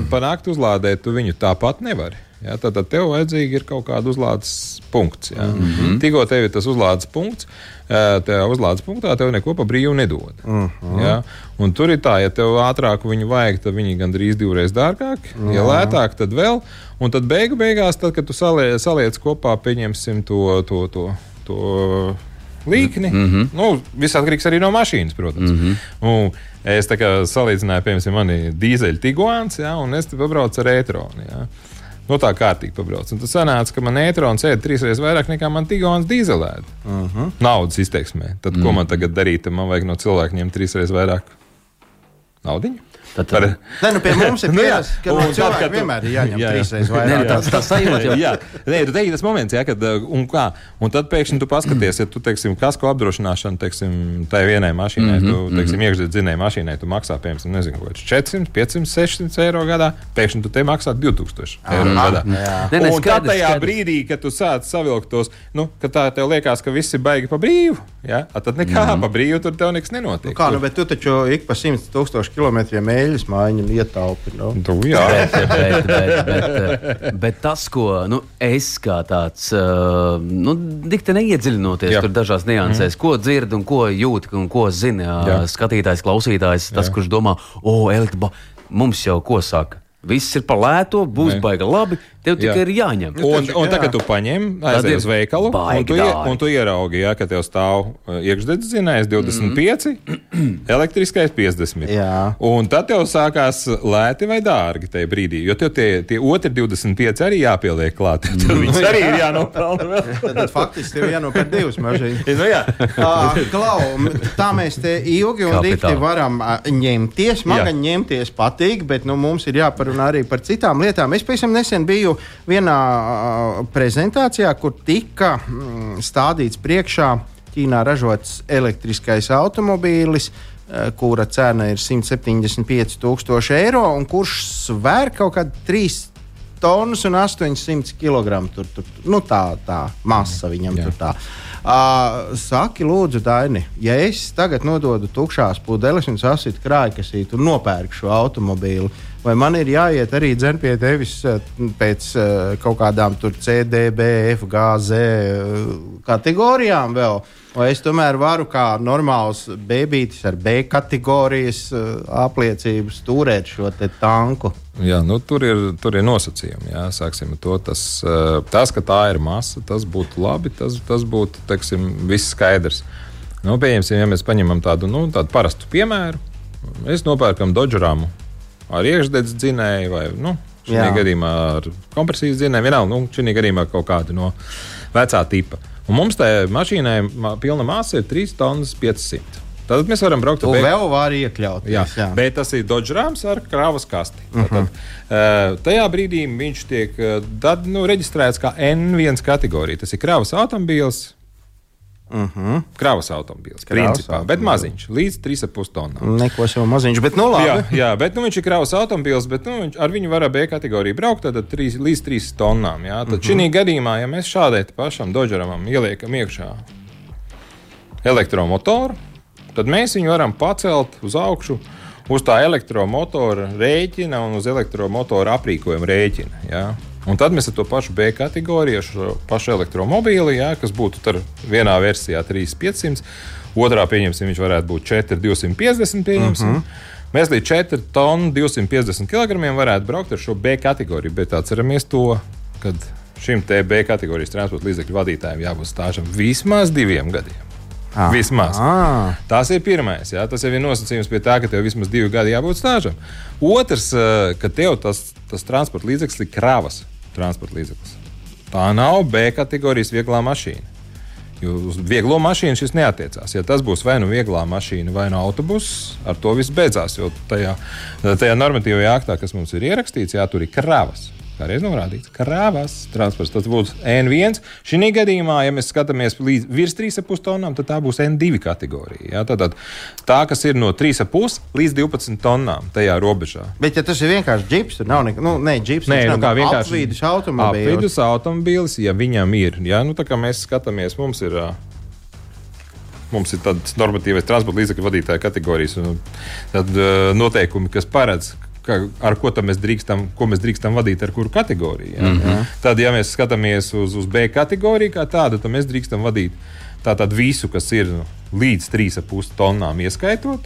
panākt uzlādēt, tu viņu tāpat nevari. Ja, tad, tad tev vajadzīgi ir kaut kāda uzlādes punkts. Ja. Mm-hmm. Tikko tev ir tas uzlādes punkts, tajā uzlādes punktā tev neko pa brīvu nedod. Mm-hmm. Ja. Un tur ir tā, ja tev ātrāk viņu vajag, tad viņi gandrīz divreiz dārgāk, mm-hmm. ja lētāk, tad vēl. Un tad beigu beigās, tad, kad tu saliec, saliec kopā, pieņemsim to, to, to, to līkni, mm-hmm. nu, viss atkarīgs arī no mašīnas, protams. Mm-hmm. Un es tā kā salīdzināju, piemēram, mani dīzeļu Tiguans, ja, un es te pabraucu ar e-tronu. Ja. Nu, tā kārtīgi pabrauc. Un tas sanāca, ka man e-trons ēd trīsreiz vairāk nekā man Tiguans dīzelēd. Uh-huh. Naudas izteiksmē. Tad, mm. ko man tagad darīt? Man vajag no cilvēku ņemt trīsreiz vairāk naudiņu. Tad, tad, ne, nu pie mums ir pieredze, ka no cilvēki tu... vienmēr ir jāņem jā, jā. trīsreiz vairāk. Nē, tas, tas sajūt jau. Jā, nē, tu teiksi tas moments, jā, kad, un kā, un tad pēkšņi tu paskaties, ja tu, teiksim, kasko apdrošināšanu, teiksim, tai vienai mašīnai, mm-hmm, tu, teiksim, iekšzemes dzinēji mašīnai, tu maksā, piemēram, nezinu, ko, četri simti, pieci simti, seši simti eiro gadā, pēkšņi tu te maksā divi tūkstoši eiro gadā. Ne, ne, un tad tajā skadrs. brīdī, kad tu sāc savilkt tos, nu, ka tā tev liekas, ka viss ir baigi pa brīvu, jā, tad nekā mm-hmm. pa brīvu tur tev nekas nenotiek. Nu kā, nu, bet tu taču ik pa simts tūkstoši kilometriem eļļas mājiņu ietaupi. No? Tu, jā. bet, bet, bet, bet, bet tas, ko nu, es kā tāds, nu, dikti neiedziļinoties jā. tur dažās niansēs, mm. ko dzird un ko jūt un ko zina jā. skatītājs, klausītājs, tas, jā. kurš domā, o, elektriba, mums jau ko saka? Viss ir par lēto, būs ne. baigi labi, Tev tikai ir jāņem. Un, un tagad tu paņem, aizej uz veikalu, un tu, ie, un tu ieraugi, ja, ka tev stāv iekšdedzes dzinējs divdesmit pieci, mm. elektriskais piecdesmit. Jā. Un tad tev sākās lēti vai dārgi tajā brīdī, jo tev tie, tie otri divdesmit pieci arī jāpieliek klāt. Tad viņus arī ir jānopelna. Tad faktiski tev jānopērk divas mašīnas. Nu, jā. uh, Klau, tā mēs te ilgi un dikti varam uh, ņemties. Man gan ņemties patīk, bet nu, mums ir jāparunā arī par citām lietām. Es pavisam nesen biju vienā uh, prezentācijā, kur tika mm, stādīts priekšā Ķīnā ražots elektriskais automobīlis, uh, kura cena ir simt septiņdesmit pieci tūkstoši eiro un kurš svēr kaut kādu trīs tonnas un astoņsimt kilogramu. Tur, tur, nu tā, tā masa viņam Jā. Tur tā. Uh, saki, lūdzu, Daini, ja es tagad nododu tukšās pudeles un sasitu krājkasīti un nopērku šo automobīlu, vai man ir jāiet arī dzen pie tevis pēc uh, kaut kādām tur C, D, B, F, G, Z uh, kategorijām vēl? Vai es tomēr varu kā normāls bēbītis ar B kategorijas uh, apliecību stūrēt šo te tanku? Jā, nu, tur, ir, tur ir nosacījumi. Jā. Sāksim ar to. Tas, tas, ka tā ir masa, tas būtu labi. Tas, tas būtu, teiksim, viss skaidrs. Nu, pieņemsim, ja mēs paņemam tādu, nu, tādu parastu piemēru. Mēs nopērkam Dodžeramu ar iekšdedzes dzinēju vai, nu, šī gadījumā ar kompresijas dzinēju. Vienalga, nu, šī gadījumā kaut kādu no vecā tipa. Un mums tā mašīnai pilna masa ir trīs tonnas piecsimt. Tad mēs varam braukt ar vēl var iekļaut. Jā, jā. Bet tas ir Dodžerams ar kravas kasti. Uh -huh. Tad, uh, tajā brīdī viņš tiek tad, nu, reģistrēts kā N viens kategorija. Tas ir kravas automobīls. Uh -huh. Kravas automobīls, principā, bet maziņš, līdz trīs ar pus tonnām. Neko sev maziņš, bet nu labi. Jā, jā, bet nu, viņš ir kravas automobīls, bet nu, viņš, ar viņu var B kategoriju braukt, tad trīs, līdz trīs tonnām. Jā. Tad uh -huh. šī gadījumā, ja mēs šādai pašam Dodžeramam ieliekam iekšā elektromotoru, tad mēs viņu varam pacelt uz augšu, uz tā elektromotora rēķina un uz elektromotora aprīkojuma rēķina. Jā. Un tad mēs ar to pašu B kategoriju, šo pašu elektromobīli, jā, kas būtu vienā versijā trīs piecsimt, otrā pieņemsim, viņš varētu būt četri divsimt piecdesmit. Pieņemsim. Uh -huh. Mēs līdz četri tonu divsimt piecdesmit kilogramiem varētu braukt ar šo B kategoriju, bet atceramies to, kad šim te B kategorijas transporta līdzekļu vadītājiem jābūt stāžam vismaz diviem gadiem. Ah, vismaz. Ah. Tas ir pirmais. Jā. Tas jau ir nosacījums pie tā, ka tev vismaz divi gadi jābūt stāžam. Otrs, ka tev tas, tas transporta līdzeklis ir kravas transporta līdzeklis. Tā nav B kategorijas vieglā mašīna. Jo uz vieglo mašīnu šis neatiecās. Ja tas būs vai nu vieglā mašīna, vai nu autobuss, ar to viss beidzās. Jo tajā, tajā normatīvajā aktā, kas mums ir ierakstīts, jā, tur ir kravas. Kā reiz norādīts, kravas transports. Tas būs N viens. Šī gadījumā, ja mēs skatāmies līdz virs trīs ar pus tonnām, tad tā būs N divi kategorija. Ja? Tātad tā, kas ir no trīs ar pus līdz divpadsmit tonnām tajā robežā. Bet, ja tas ir vienkārši džips, tad nav nekā, nu, ne, džips, Nē, nu, kā vienkārši apvidus automobīlis. Apvidus automobīlis, ja viņam ir. Ja? Nu, tā kā mēs skatāmies, mums ir... Mums ir tāds normatīvais transporta līdzekļu vadītāja kategorijas un tad noteikumi, kas paredz, ar ko mēs drīkstam, ko mēs drīkstam vadīt, ar kuru kategoriju. Ja? Mm -hmm. Tad, ja mēs skatāmies uz, uz B kategoriju kā tādu, tad mēs drīkstam vadīt tātad visu, kas ir līdz trīs ar pus tonnām ieskaitot.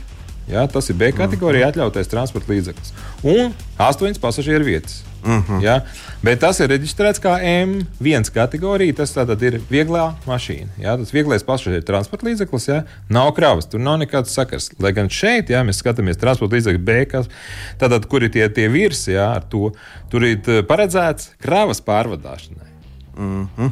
Ja? Tas ir B kategorija atļautais transporta līdzeklis. Un astoņas pasažieru vietas. Uh -huh. Ja? Bet tas ir reģistrēts kā M viens kategorija. Tas tātad ir vieglā mašīna. Ja? Tas vieglais pasažieru transporta līdzeklis, ja? Nav kravas, tur nav nekāds sakars. Lai gan šeit, ja mēs skatāmies transporta līdzekļu B, kas, tātad, kur ir tie, tie virsi, ja? Ar to, tur ir paredzēts kravas pārvadāšanai. Uh -huh.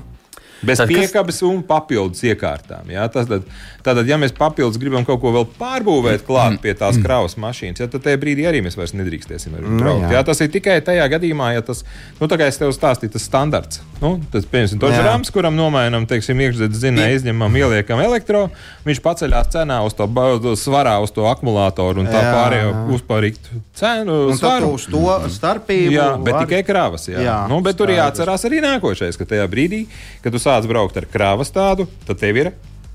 Bez tad, piekabes kas... un papildus iekārtām. Ja? Tātad, tātad, ja mēs papildus gribam kaut ko vēl pārbūvēt klāt pie tās kravas mašīnas, ja, tad tajā brīdī arī mēs vairs nedrīkstēsim ar viņu braukt. Mm, ja? Tas ir tikai tajā gadījumā, ja tas, nu, tā kā es tev stāstīju, tas standarts. Nu, tas, piemēram, Dodžerams, kuram nomainam, teiksim, iekšzemes dzinēju, izņemam, ieliekam elektro, viņš paceļās cenā uz to svarā, uz to akumulātoru un tā jā, pārējo uzpārīgt cenu. Un tad uz to starpību. Jā, bet var... tikai kravas. Jā. Jā, nu, bet tur jāatcerās arī nākošais, ka tajā brīdī, kad tu sāc braukt ar kravas tādu, tad tev ir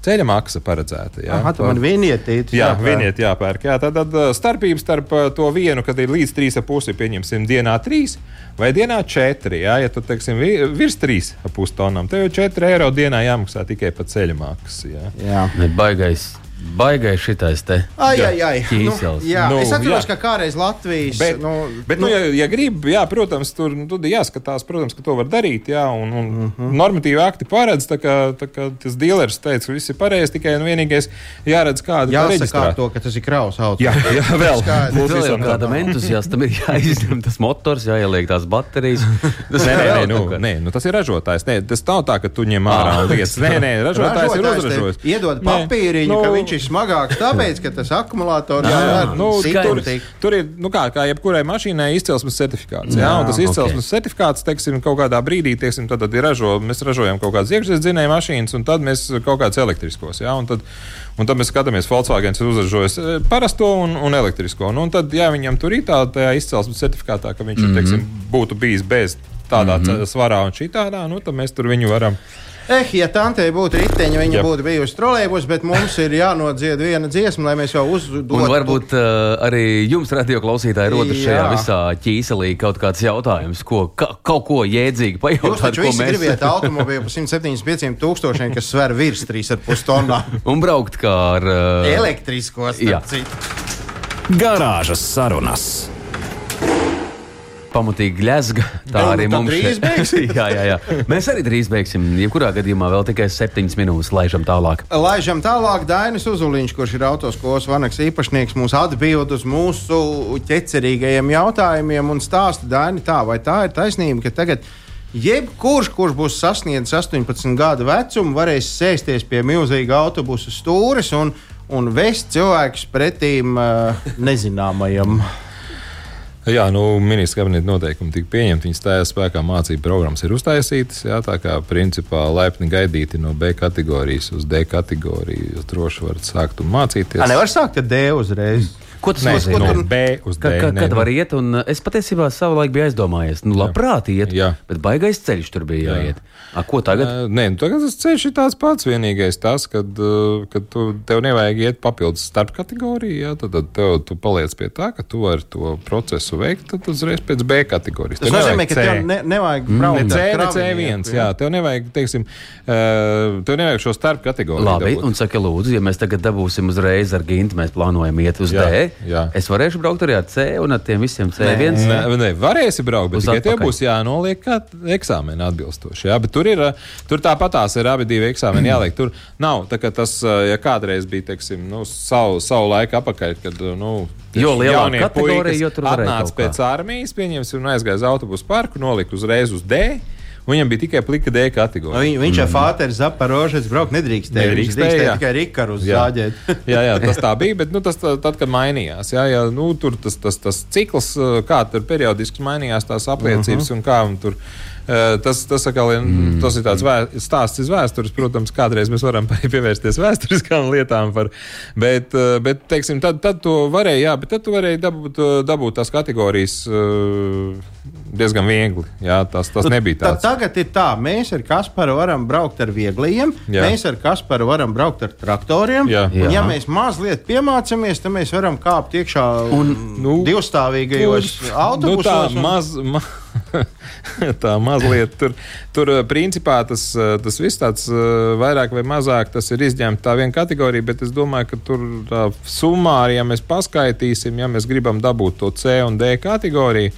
ceļa maksa paredzēta. Jā, Aha, tu man vienietīti jā, vieniet jāpērk. Jā, tad, tad starpība starp to vienu, kad ir līdz trīs ar pusi, pieņemsim, dienā trīs vai dienā četri. Jā, ja tu, teiksim, virs trīs ar pus tonnām, tev jau četri eiro dienā jāmaksā tikai pa ceļa maksu. Jā, jā. Ne, baigais. Baigais šitais te. Ai, ai, ai. Ķīsels. Nu, jā, Nu, es atceros, jā. ka kādreiz Latvijas... Bet, nu, bet nu, ja, ja grib, jā, protams, tur nu, tur jāskatās, protams, ka to var darīt, jā, un, un uh-huh. normatīvi akti paredz, tā kā, tā kā tas dealers teica, ka viss ir pareizi, tikai nu, vienīgais jāredz kāda tā reģistrā. Jāsaka to, ka tas ir kraus auto. Jā, jā, vēl. Būs vēl kādam entuziastam ir jāizņem tas motors, jāieliek tās baterijas. Tas Nē, nē, nē, nu, nē. nē, nu, tas ir ražotājs. Nē, tas nav tā, ka tu ņem ārā un lietas. Nē, nē, ražotājs ir uzražojis. Iedod papīriņu, nu, ka viņš ir smagāks, tāpēc, ka tas akumulators jā, nu, tur, tur, tur ir, nu kā, kā jebkurai mašīnai izcelsmes certifikāts. Jā, jā, un tas izcelsmes okay. certifikāts, teiksim, kaut kādā brīdī, teiksim, tad, tad ir ražo, mēs ražojam kaut kādas iekšzemes dzinēju mašīnas, un tad mēs kaut kādas elektriskos. Jā, un tad, un tad mēs skatāmies, Volkswagens ir uzražojis parasto un, un elektrisko. Un, un tad, ja viņam tur ir tā tajā izcelsmes certifikātā, ka viņš mm-hmm. teiksim, būtu bijis bez tādā mm-hmm. svarā un šitādā, nu, tad mēs tur viņu varam. Eh, ja tantei būtu riteņa, viņa Jep. būtu bijusi trolejbus, bet mums ir jānodzied viena dziesma, lai mēs jau uzdotu. Un varbūt uh, arī jums, radio klausītāji, rodas šajā visā ķīselī kaut kāds jautājums, ko, ka, kaut ko jēdzīgi pajautāt. Jūs taču visi mēs... gribiet automobīlu par simt septiņdesmit pieciem tūkstošiem, kas sver virs trīs ar pus tonnām. Un braukt kā ar... Uh... Elektriskos, starp citu. Garāžas sarunas. Pamatīgi gļezga. Tā Vēl, arī nu, mums drīz beigsim. jā, jā, jā. Mēs arī drīz beigsim. Jebkurā gadījumā vēl tikai septiņas minūtes laižam tālāk. Laižam tālāk. Dainis Uzuliņš, kurš ir autoskolas Vanaks īpašnieks, mūs atbild uz mūsu ķecerīgajiem jautājumiem un stāsta, Daini, tā vai tā ir taisnība, ka tagad jebkurš, kurš būs sasniedzis astoņpadsmit gadu vecumu, varēs sēsties pie milzīga autobusu stūres un, un vest cilvēkus pretīm uh, nezināmajam. Jā, nu, ministra kabineta noteikumi tika pieņemti, viņas stājās spēkā, mācību programmas ir uztaisītas, jā, tā kā principā laipni gaidīti no B kategorijas uz D kategoriju, jūs droši varat sākt un mācīties. A, nevar sākt ar D uzreiz. Ko tas Nē, nozīmē? no B uz D. Ka, ka, Nē, kad nu. var iet, un es patiesībā savulaik biju aizdomājies, nu labprāt iet, Jā. bet baigais ceļš tur bija Jā. jāiet. A, ko tagad? Uh, nē, nu, tagad tas ceļš ir tāds pats. Vienīgais tas, kad, uh, kad tu, tev nevajag iet papildus starp kategoriju, jā, tad, tad tev, tu paliec pie tā, ka tu vari to procesu veikt, tad uzreiz pēc B kategorijas. Tas nozīmē, ka tev ne, nevajag braukt Ne C, ar ne C viens, jā, tev nevajag, teiksim, uh, tev nevajag šo starp kategoriju. Labi, dabūt. un saka, lūdzu, ja mēs tagad dabūsim uzreiz ar Gintu, mēs plānojam iet uz Jā, D, jā. es varēšu braukt arī ar C un ar tiem visiem C viens. Nē, nē, varēsi braukt, bet Uz tikai tev atpakaļ. būs jānoliek kā eksāmeni atbilstoši. Jā, bet tur ir, tur tāpatās ir abi divi eksāmeni jāliek. Tur nav, tā kā tas, ja kādreiz bija, teiksim, nu, savu, savu laiku apakaļ, kad, nu, Jo lielāka jaunie kategorija, puikas jo tur varēja atnāca kaut kā. pēc armijas, pieņemsim, un aizgāja uz autobusu parku, nolika uzreiz uz D, un viņam bija tikai plika D kategorija. Viņ, viņš ar Fāteris Zaporožets braukt nedrīkstēja. Viņš Nedrīkstēja, drīkstēja jā. tikai Rikaru uz Jā. zāģēt. jā, jā, tas tā bija, bet nu, tas tā, tad, kad mainījās, jā, jā, nu, tur tas, tas, tas cikls, kā tur periodiski mainījās tās apliecības uh-huh. un kā un tur. Tas, tas, atkal, mm. tas ir tāds vē, stāsts iz vēstures. Protams, kādreiz mēs varam pievērsties vēsturiskām lietām, par, bet, bet teiksim, tad, tad to varēja, jā, bet tad tu varēji dabūt, dabūt tās kategorijas diezgan viegli. Jā, tas, tas nebija tāds. Tā, tagad ir tā, mēs ar Kasparu varam braukt ar vieglajiem, Jā. mēs ar Kasparu varam braukt ar traktoriem. Jā. Un, ja Jā. mēs mazliet piemācāmies, tad mēs varam kāpt iekšā Un, nu, divstāvīgajos autobusos. Nu, tā maz, ma, tā mazliet tur, tur principā tas, tas viss tāds vairāk vai mazāk tas ir izņemts tā viena kategorija, bet es domāju, ka tur tā summā, ja mēs paskaitīsim, ja mēs gribam dabūt to C un D kategoriju,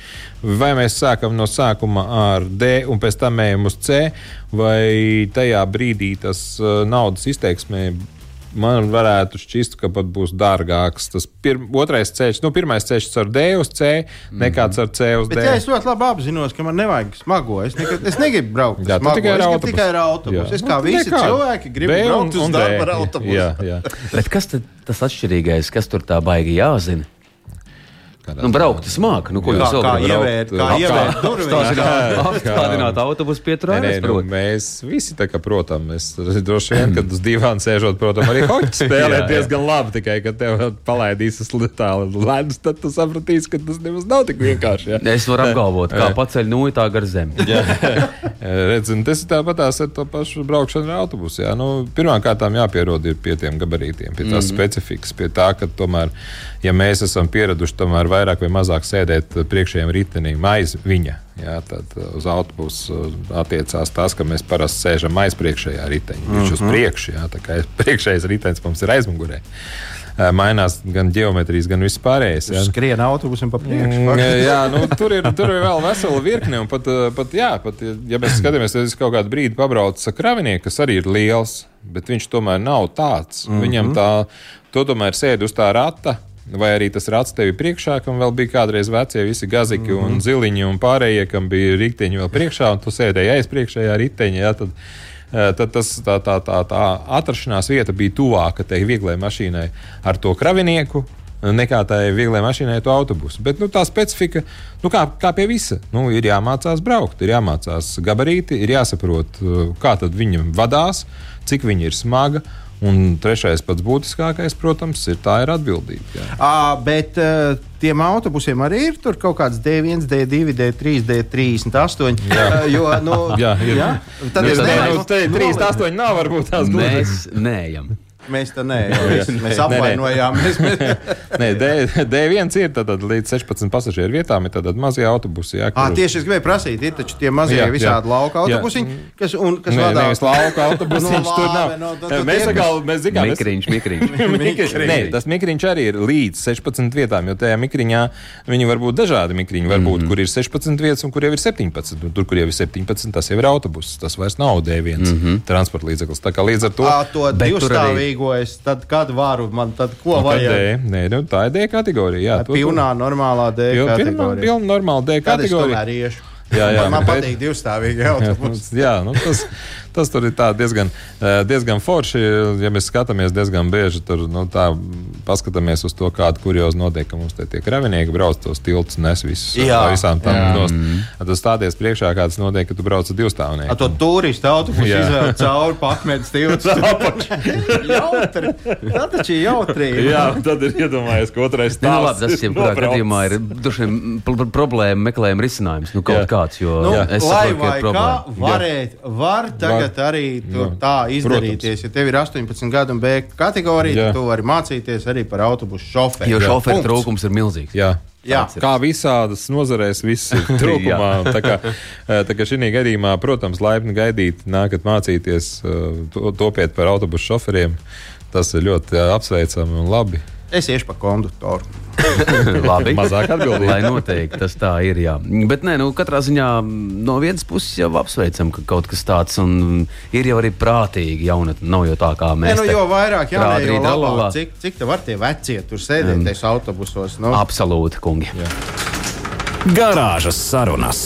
vai mēs sākam no sākuma ar D un pēc tam ejam uz C, vai tajā brīdī tas naudas izteiksmē man varētu šķist, ka pat būs dārgāks. Tas pir, otrais ceļš, nu, pirmais ceļš ar D uz C, nekāds ar C uz Bet D. jā, es ļoti labi apzinos, ka man nevajag smago. Es, nekad, es negribu braukt ar Jā, tu smago. tikai ar Es gribu autobusu. tikai ar autobusu. Jā. Es kā Nu, visi nekādu. cilvēki gribu B un- braukt uz un D. darbu ar autobusu. Jā, jā. bet kas tad tas atšķirīgais, kas tur tā baigi jāzina? Kādā Nu, braukt smāk, nu, ko Kā, jūs vēl kā gribat? ievērt, kā Apkārt. ievērt durvīs. Apstādināt autobusu pieturā. Nē, nē, nu, mēs visi tā kā, protams, mēs droši vien, kad uz divām sēžot, protams, arī hoķi spēlēt Jā, jā. diezgan labi, tikai, kad tev palaidīs uz tālu ledus, tad tu sapratīsi, ka tas nemaz nav tik vienkārši. Jā. Es varu apgalvot, kā paceļ nūju tā gar zemi. Jā, redz, un tas ir tāpatās ar to pašu braukšanu ar autobusu. Jā. Nu, pirmkārt, jāpierod ir pie tiem gabarītiem, pie tās mm-hmm. specifikas, pie tā, ka tomēr, ja mēs esam pieraduši tomēr vairāk vai mazāk sēdēt priekšējiem ritenim aiz viņa. Jā, tad uz autobusu attiecās tas, ka mēs parasti sēžam aiz priekšējā riteņa. Viņš mm-hmm. uz priekšu, jā, tā kā priekšējais ritenis mums ir aizmugurē. Mainās gan ģeometrijas, gan viss pārējais. Jā. Skrien autobusam pa priekšu. Mm, jā, nu, tur, ir, tur ir vēl vesela virkne. Un pat, pat, jā, pat, ja mēs skatāmies, tad es kaut kādu brīdi pabraucu kravinieku, kas arī ir liels, bet viņš tomēr nav tāds. Mm-hmm. Viņam tā, to tomēr sēd uz tā rata, vai arī tas rats tevi priekšā, kam vēl bija kādreiz vecie visi gaziki mm-hmm. un ziliņi un pārējie, kam bija riteņi vēl priekšā, un tu sēdēji aiz priekšējā riteņa, jā, tad, tad tas, tā, tā, tā, tā atrašanās vieta bija tuvāka tai vieglai mašīnai ar to kravinieku, nekā tai vieglai mašīnai to autobusu. Bet nu, tā specifika, nu, kā, kā pie visa, nu, ir jāmācās braukt, ir jāmācās gabarīti, ir jāsaprot, kā tad viņam vadās, cik viņa ir smaga. Un trešais pats būtiskākais, protams, ir tā ir atbildība. Jā. À, bet uh, tiem autobusiem arī ir tur kaut kāds D viens, D divi, D trīs, D trīsdesmit astoņi. Jā, uh, jo, nu, jā, ir. Jā? Tad mēs es nevaru, nu, trīsdesmit astoņi nav varbūt tās gluži. Mēs neejam. Mēs tā nē, mēs, mēs apvainojām. Mēs, mēs... Nē, D viens ir tātad līdz sešpadsmit pasažieru vietām, ir tātad mazie autobusi. Jā, kur... à, tieši es gribēju prasīt, ir taču tie mazie jā, visādi jā. lauka autobusiņi, kas, un, kas nē, vadā... Nevis lauka autobusiņš, no, tur nav. No, no, mēs sakām, mēs zinām... Mikriņš, mikriņš. mikriņš. Nē, tas mikriņš arī ir līdz sešpadsmit vietām, jo tajā mikriņā viņi var būt dažādi mikriņi, varbūt, mm-hmm. kur ir sešpadsmit vietas un kur jau ir septiņpadsmit. Tur, kur jau ir septiņpadsmit, tas jau ir autobus, tas vairs nav D viens mm-hmm. transporta līdzeklis. Tā kā līdz ar to... À, to divstāvīgo es tad kad varu, man tad ko nu, vajag? Nē, nu, tā ir D kategorija. Jā, pilnā, normālā D Pil, kategorija. Pilnā, normāla D kategorija. Kad es tomēr iešu? Jā, jā, man bet, patīk divstāvīgi autobusi. Jā, nu, tas, tas tur ir tā diezgan, diezgan forši. Ja mēs skatāmies diezgan bieži, tur nu, tā, paskatāmies uz to, kādu kuriozu notiek, ka mums te tie kravinieki brauc tos tiltus, nes visus jā, visām tam nost. Tu stāties priekšā, kāds notiek, ka tu brauc ar divstāvnieku. A to turistu autobusu izvēl cauri pakmētas tiltus. Jautri. Tā taču ir jautri. Jā, tad ir iedomājies, ka otrais stāvs. Nu, labi, tas jebkurā gadījumā ir dušiem problēma meklējuma risinājums. Nu, kaut jā. Kāds, jo nu, es lai saprotu, vai kā varēt, var tagad var. Arī tur tā izdarīties. Ja tev ir astoņpadsmit gadu un B kategorija, tad tu vari mācīties arī par autobusu šoferi. Jo šoferu trūkums ir milzīgs. Jā. Jā. Kā visādas nozarēs, viss ir trūkumā. tā kā, tā kā šī gadījumā, protams, laipni gaidīt, nākat mācīties, topiet par autobusu šoferiem. Tas ir ļoti apsveicami un labi. Es iešu pa konduktoru. Labi. Mazāk atbildīgi. Lai noteikti tas tā ir, jā. Bet nē, nu, katrā ziņā no vienas puses jau apsveicam, ka kaut kas tāds un ir jau arī prātīgi jaunatni. Nav jau tā, kā mēs. Ne, nu, jo vairāk, jā, prādrīt, jo labāk. Cik, cik te var tie vecie tur sēdēties um, autobusos? Nu? Absolūti, kungi. Jā. Garāžas sarunas.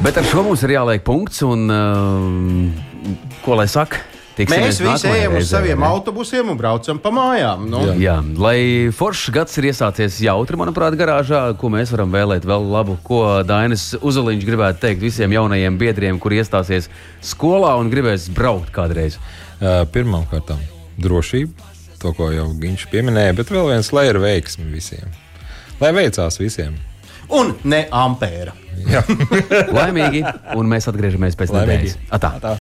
Bet ar šo mums ir jāliek punkts un uh, ko lai saka? Mēs visi ejam uz saviem autobusiem un braucam pa mājām. Nu? Jā. Jā, lai foršs gads ir iesācies jautri, manuprāt, garāžā, ko mēs varam vēlēt vēl labu, ko Dainis Uzoliņš gribētu teikt visiem jaunajiem biedriem, kuri iestāsies skolā un gribēs braukt kādreiz. Uh, Pirmkārt, drošība, to, ko jau viņš pieminēja, bet vēl viens, lai ir veiksmi visiem. Lai veicās visiem. Un ne ampēra. Laimīgi, un mēs atgriežamies pēc nedēļas. Atā. Atā.